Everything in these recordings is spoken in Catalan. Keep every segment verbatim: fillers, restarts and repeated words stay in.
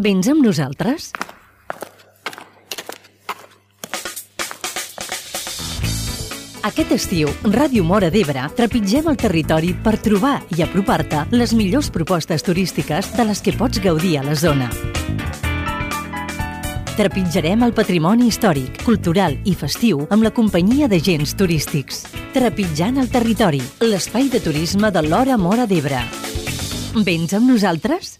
Vens amb nosaltres? Aquest estiu, Ràdio Móra d'Ebre trepitgem el territori per trobar i apropar-te les millors propostes turístiques de les que pots gaudir a la zona. Trepitjarem el patrimoni històric, cultural i festiu amb la companyia d'agents turístics. Trepitjant el territori, l'espai de turisme de l'Hora Móra d'Ebre. Vens amb nosaltres?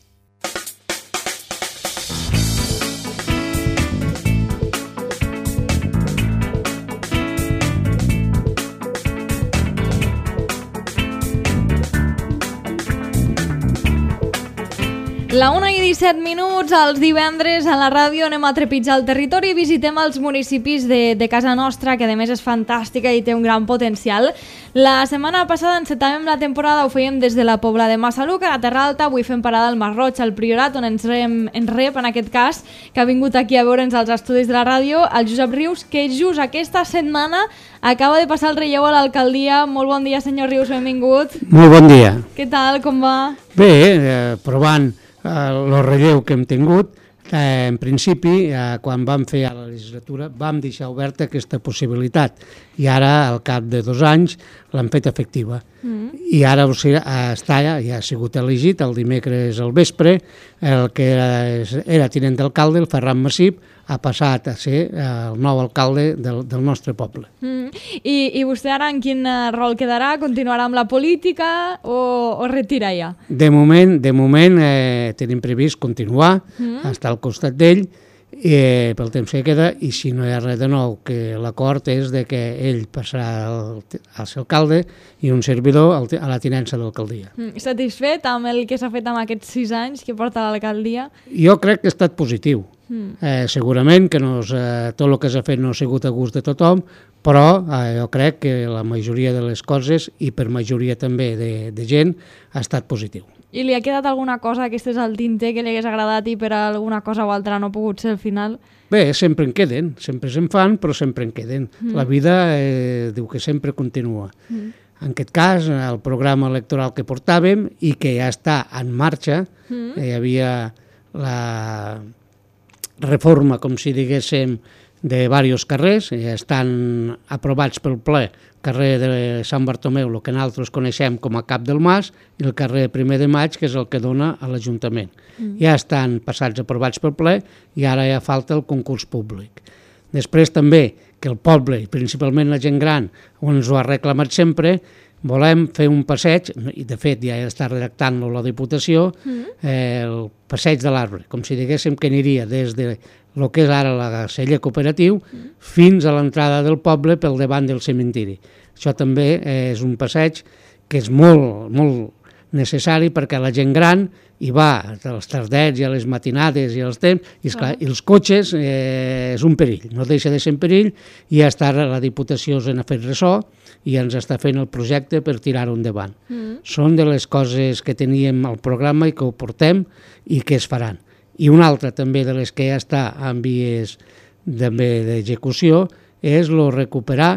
La una i disset minuts, els divendres a la ràdio anem a trepitjar el territori i visitem els municipis de, de casa nostra, que a més és fantàstica i té un gran potencial. La setmana passada encetàvem la temporada, ho fèiem des de la Pobla de Massaluca, a Terra Alta, avui fem parada al Masroig, al Priorat, on ens, rem, ens rep, en aquest cas, que ha vingut aquí a veure'ns als estudis de la ràdio, el Josep Rius, que just aquesta setmana acaba de passar el relleu a l'alcaldia. Molt bon dia, senyor Rius, benvingut. Molt bon dia. Què tal, com va? Bé, eh, provant el relleu que hem tingut, eh, en principi, eh, quan vam fer a la legislatura, vam deixar oberta aquesta possibilitat i ara, al cap de dos anys, l'han fet efectiva. Mm. I ara o sigui, està, ja ha sigut elegit el dimecres al vespre, el que era, era tinent d'alcalde, el Ferran Massip, ha passat a ser el nou alcalde del, del nostre poble. Mm. I, I vostè ara en quin rol quedarà? Continuarà amb la política o, o retira ja? De moment, de moment eh, tenim previst continuar, mm. estar al costat d'ell, eh, pel temps que queda, i si no hi ha res de nou, que l'acord és de que ell passarà al, al ser alcalde i un servidor al, a la tinença d'alcaldia. Mm. Satisfet amb el que s'ha fet amb aquests sis anys que porta a l'alcaldia? Jo crec que ha estat positiu. Mm. Eh, segurament que no és, eh, tot el que s'ha fet no ha sigut a gust de tothom, però eh, jo crec que la majoria de les coses, i per majoria també de, de gent, ha estat positiu. I li ha quedat alguna cosa que estés al tinter que li hagués agradat i per alguna cosa o altra no ha pogut ser al final? Bé, sempre en queden, sempre se'n fan, però sempre en queden. Mm. La vida eh, diu que sempre continua. Mm. En aquest cas, el programa electoral que portàvem i que ja està en marxa, mm. eh, hi havia la reforma, com si diguéssim, de diversos carrers, ja estan aprovats pel ple, carrer de Sant Bartomeu, el que nosaltres coneixem com a Cap del Mas, i el carrer Primer de Maig, que és el que dona a l'Ajuntament. Mm. Ja estan passats aprovats pel ple i ara ja falta el concurs públic. Després també que el poble, i principalment la gent gran, on ens ho ha reclamat sempre, volem fer un passeig, i de fet ja està redactant-lo la Diputació, mm. eh, el passeig de l'arbre, com si diguéssim que aniria des de el que és ara la celler cooperatiu mm. fins a l'entrada del poble pel davant del cementiri. Això també eh, és un passeig que és molt, molt necessari perquè la gent gran hi va als tardets i a les matinades i als temps, i, esclar, ah. i els cotxes eh, és un perill, no deixa de ser un perill, i ja està la Diputació se n'ha fet ressò i ens està fent el projecte per tirar-ho endavant. Mm. Són de les coses que teníem al programa i que ho portem i que es faran. I una altra també de les que ja està en vies d'execució és lo recuperar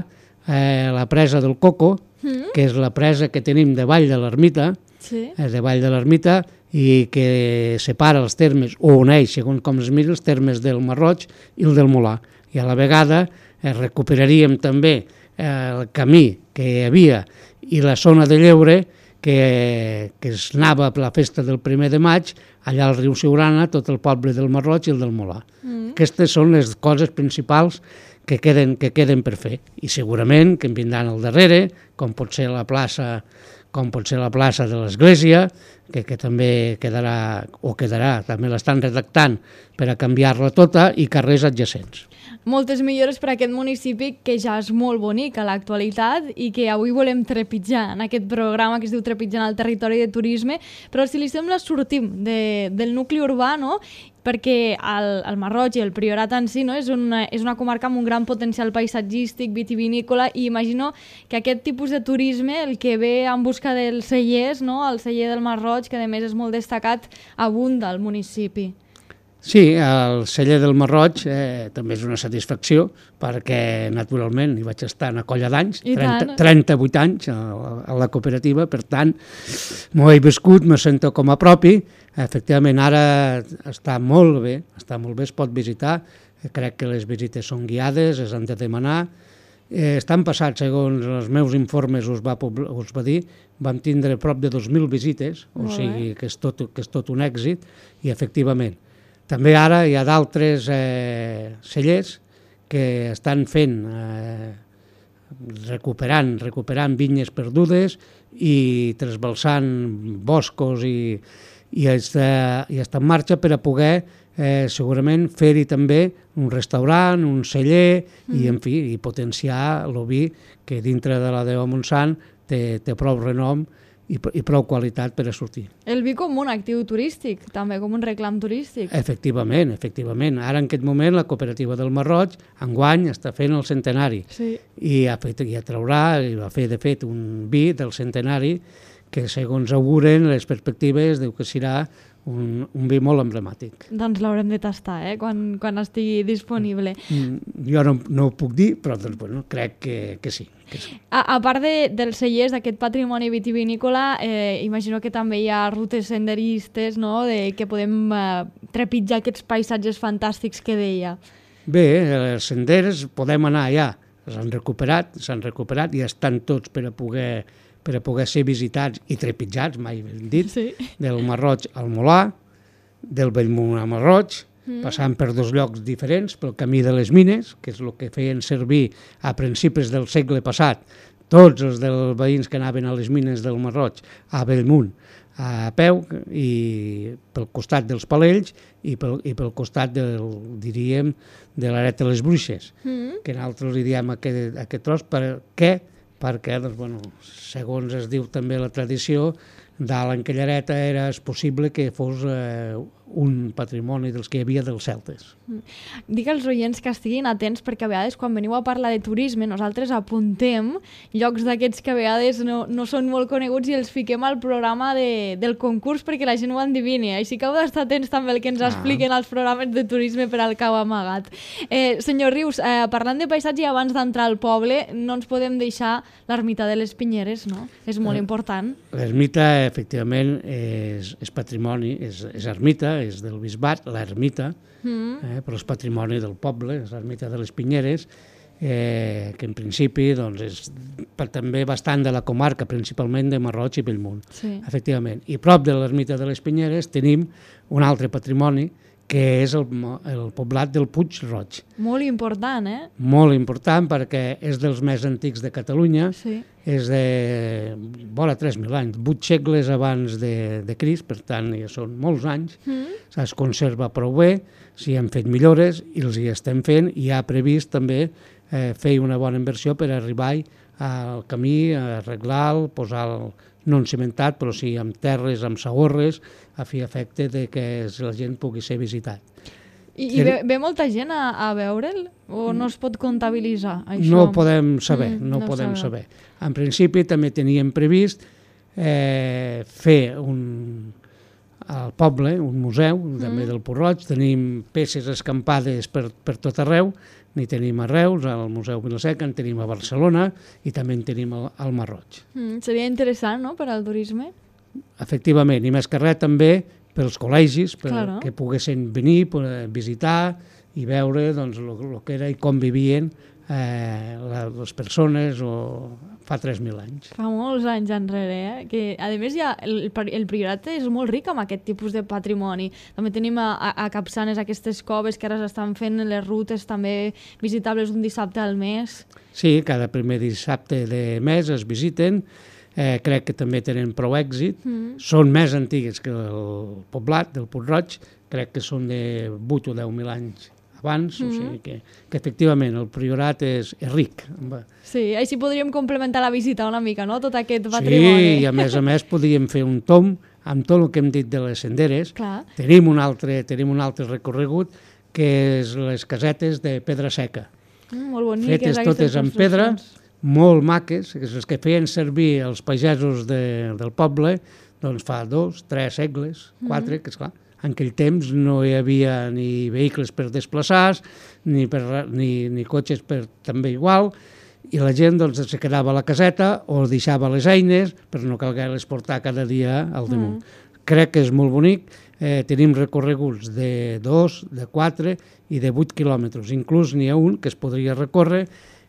eh, la presa del Coco, mm. que és la presa que tenim de Vall de l'Ermita, sí. eh, de Vall de l'Ermita, i que separa els termes, o uneix, segons com es mira, els termes del Masroig i el del Molar. I a la vegada eh, recuperaríem també eh, el camí que hi havia i la zona de lleure que, que es anava per la festa del primer de maig, allà al riu Siurana, tot el poble del Masroig i el del Molar. Mm. Aquestes són les coses principals que queden, que queden per fer. I segurament que en vindran al darrere, com pot ser la plaça, com pot ser la plaça de l'Església, que, que també quedarà, o quedarà, també l'estan redactant per a canviar-la tota, i carrers adjacents. Moltes millores per a aquest municipi que ja és molt bonic a l'actualitat i que avui volem trepitjar en aquest programa que es diu Trepitjant el territori de turisme, però si li sembla sortim de, del nucli urbà, no? Perquè el, el Masroig i el Priorat en si, no? és, una, és una comarca amb un gran potencial paisatgístic, vitivinícola, i imagino que aquest tipus de turisme, el que ve en busca dels cellers, no? El celler del Masroig, que a més és molt destacat, abunda al municipi. Sí, el celler del Marroig eh, també és una satisfacció perquè, naturalment, hi vaig estar una colla d'anys, trenta, trenta-vuit anys a, a la cooperativa, per tant, m'ho he viscut, me sento com a propi. Efectivament, ara està molt bé, està molt bé, es pot visitar, crec que les visites són guiades, es han de demanar. Eh, estan passats, segons els meus informes us va, us va dir, vam tindre prop de dos mil visites, o sigui que és tot, que és tot un èxit, i efectivament, també ara hi ha d'altres eh, cellers que estan fent, eh, recuperant, recuperant vinyes perdudes i trasbalsant boscos i, i, està, i està en marxa per a poder eh, segurament fer-hi també un restaurant, un celler mm. i, en fi, i potenciar el vi que dintre de la Deu Montsant té, té prou renom i, i prou qualitat per a sortir. El vi com un actiu turístic, també com un reclam turístic. Efectivament, efectivament. Ara en aquest moment la cooperativa del Marroig enguany està fent el centenari sí. i, ha fet, i atraurà, i va fer de fet un vi del centenari que segons auguren les perspectives diu que serà un, un vi molt emblemàtic. Doncs l'haurem de tastar, eh? quan, quan estigui disponible. Mm, jo no, no ho puc dir, però doncs, bueno, crec que, que sí. Que sí. A, a part de, dels cellers, d'aquest patrimoni vitivinícola, eh, imagino que també hi ha rutes senderistes, no?, de, que podem eh, trepitjar aquests paisatges fantàstics que deia. Bé, els senders podem anar allà, s'han recuperat, s'han recuperat i estan tots per a poder per a poder ser visitats i trepitjats, mai ben dit, sí. del Marroig al Molà, del Bellmunt al Marroig, mm. passant per dos llocs diferents, pel camí de les mines, que és el que feien servir a principis del segle passat, tots els dels veïns que anaven a les mines del Marroig, a Bellmunt, a peu, i pel costat dels Palells i pel, i pel costat del, diríem, de l'Aret de les Bruixes, mm. que nosaltres li diem aquest, aquest tros, perquè perquè, doncs, bueno, segons es diu també la tradició, dalt en aquella areta era possible que fos eh, un patrimoni dels que hi havia dels celtes. Dic als oients que estiguin atents perquè a vegades quan veniu a parlar de turisme nosaltres apuntem llocs d'aquests que a vegades no, no són molt coneguts i els fiquem al programa de, del concurs perquè la gent ho endivini. Així que heu d'estar atents també al que ens ah. expliquen els programes de turisme per al Cau Amagat. Eh, senyor Rius, eh, parlant de paisatge i abans d'entrar al poble, no ens podem deixar l'ermita de les Pinyeres, no? És molt eh, important. L'ermita, efectivament, és, és patrimoni, és, és ermita, és del bisbat, l'ermita, mm. eh, però és patrimoni del poble, és l'ermita de les Pinyeres, eh, que en principi doncs, és per, també bastant de la comarca, principalment de Marroig i Bellmunt. Sí. Efectivament. I prop de l'ermita de les Pinyeres tenim un altre patrimoni, que és el, el poblat del Puig Roig. Molt important, eh? Molt important perquè és dels més antics de Catalunya, sí. és de vora tres mil anys, vuit segles abans de, de Crist, per tant ja són molts anys, mm. es conserva prou bé, s'hi han fet millores i els hi estem fent i ha previst també eh, fer una bona inversió per arribar al camí, arreglar-lo, posar-lo no cimentat, però sí amb terres, amb sagorres, a fi efecte de que la gent pugui ser visitat. I, i ve, ve molta gent a, a veure'l? O no es pot comptabilitzar, això? No ho podem saber, mm, no, no podem saber. saber. En principi també teníem previst eh, fer un, al poble un museu, mm. també del Puig Roig, tenim peces escampades per, per tot arreu, n'hi tenim a Reus, al Museu Vilaseca, en tenim a Barcelona i també en tenim al, al Marroig. Mm, seria interessant, no?, per al turisme? Efectivament, i més que res també pels col·legis, per, claro. que poguessin venir, visitar i veure doncs, el que era i com vivien eh, la, les persones o fa tres mil anys. Fa molts anys enrere, eh? Que a més ja el, el Priorat és molt ric amb aquest tipus de patrimoni. També tenim a, a, a Capçanes aquestes coves que ara s'estan fent les rutes també visitables un dissabte al mes. Sí, cada primer dissabte de mes es visiten. Eh, crec que també tenen prou èxit. Mm. Són més antigues que el poblat del Puig Roig, crec que són de vuit o deu mil anys abans, mm. o sigui que, que efectivament el Priorat és, és ric. Sí, així podríem complementar la visita una mica, no?, tot aquest patrimoni. Sí, i a més a més podríem fer un tom amb tot el que hem dit de les senderes. Clar. Tenim un altre, tenim un altre recorregut que és les casetes de pedra seca. Mm, molt boniques, fetes totes en pedra, molt maques, les que feien servir els pagesos de, del poble doncs fa dos, tres segles, quatre, mm-hmm. que esclar, En aquell temps no hi havia ni vehicles per desplaçar-se, ni, per, ni, ni cotxes per també igual, i la gent doncs, se quedava a la caseta o deixava les eines per no calguer-les portar cada dia al damunt. Mm. Crec que és molt bonic. Eh, tenim recorreguts de dos, de quatre i de vuit quilòmetres. Inclús n'hi ha un que es podria recórrer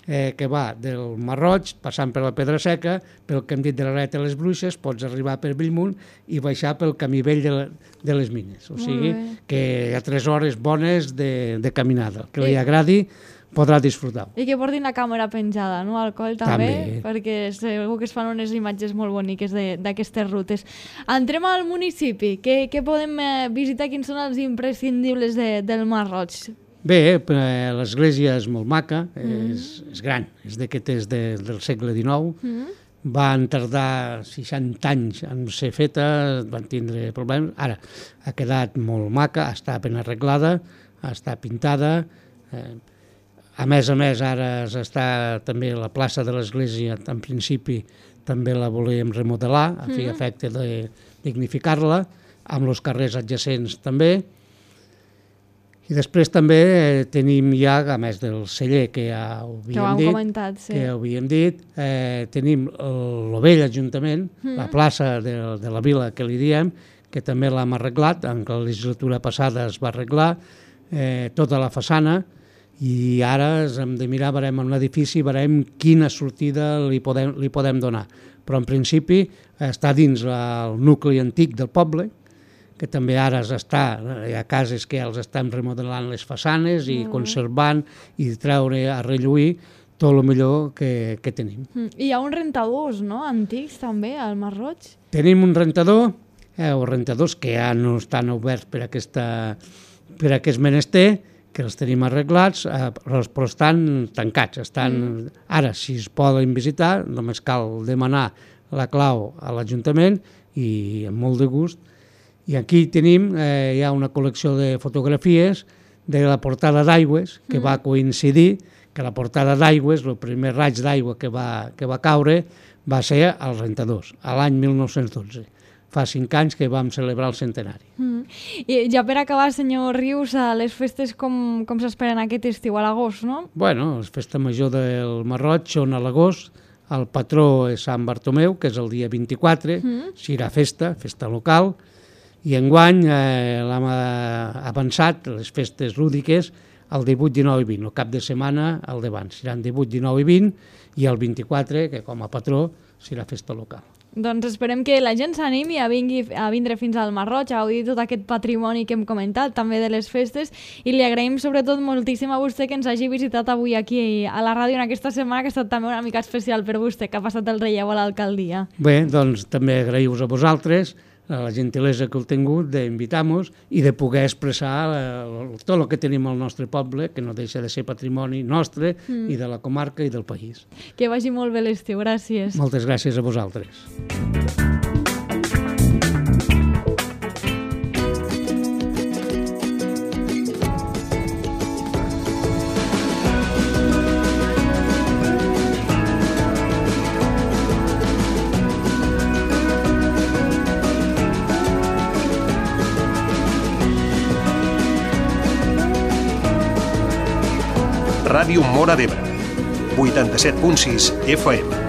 eh, que va del Marroig, passant per la Pedra Seca, pel que hem dit de la Reta de les Bruixes, pots arribar per Bellmunt i baixar pel camí vell de, la, de les Mines. O sigui que hi ha tres hores bones de, de caminada. El que li agradi podrà disfrutar. I que portin la càmera penjada, no?, al coll també, també, perquè segur que es fan unes imatges molt boniques d'aquestes rutes. Entrem al municipi. Què, què podem eh, visitar? Quins són els imprescindibles de, del Marroig? Bé, eh, l'església és molt maca, mm. és, és gran, és d'aquestes de, del segle dinou. Mm. Van tardar seixanta anys en ser feta, van tindre problemes. Ara ha quedat molt maca, està ben arreglada, està pintada. Eh, A més a més, ara està també la plaça de l'església, en principi també la volíem remodelar, a fi efecte de dignificar-la, amb els carrers adjacents també. I després també tenim ja, a més del celler que ja ho havíem que dit, comentat, sí. que ja ho havíem dit, eh, tenim el vell Ajuntament, mm. la plaça de, de la vila que li diem, que també l'hem arreglat, en la legislatura passada es va arreglar, eh, tota la façana, i ara hem de mirar, veurem en l'edifici, veurem quina sortida li podem, li podem donar. Però en principi està dins el nucli antic del poble, que també ara està, hi ha cases que els estan remodelant les façanes i mm. conservant i treure a relluir tot el millor que, que tenim. Mm. I hi ha uns rentadors, no?, antics també, al Marroig? Tenim un rentador, eh, o rentadors que ja no estan oberts per, aquesta, per aquest menester, que els tenim arreglats, eh, però estan tancats. Estan... Mm. Ara, si es poden visitar, només cal demanar la clau a l'Ajuntament i amb molt de gust. I aquí tenim, eh, hi ha una col·lecció de fotografies de la portada d'Aigües, que mm. va coincidir que la portada d'Aigües, el primer raig d'aigua que va, que va caure, va ser als rentadors, a l'any mil nou-cents dotze. Fa cinc anys que vam celebrar el centenari. Mm. I ja per acabar, senyor Rius, les festes com, com s'esperen aquest estiu, a l'agost, no? Bueno, les festes majors del Marroig són a l'agost, el patró és Sant Bartomeu, que és el dia vint-i-quatre, mm. serà festa, festa local, i enguany eh, l'hem avançat, les festes lúdiques, el divuit, dinou i vint, el cap de setmana al davant. Seran divuit, dinou i vint, i el vint-i-quatre, que com a patró serà festa local. Doncs esperem que la gent s'animi a, vingui, a vindre fins al Marroig, a gaudir tot aquest patrimoni que hem comentat, també de les festes, i li agraïm sobretot moltíssim a vostè que ens hagi visitat avui aquí a la ràdio en aquesta setmana, que ha estat també una mica especial per vostè, que ha passat el relleu a l'alcaldia. Bé, doncs també agraïu-vos a vosaltres la gentilesa que heu tingut d'invitar-nos i de poder expressar eh, tot el que tenim al nostre poble, que no deixa de ser patrimoni nostre mm. i de la comarca i del país. Que vagi molt bé l'estiu, gràcies. Moltes gràcies a vosaltres. Ràdio Móra d'Ebre, vuitanta-set punt sis F M.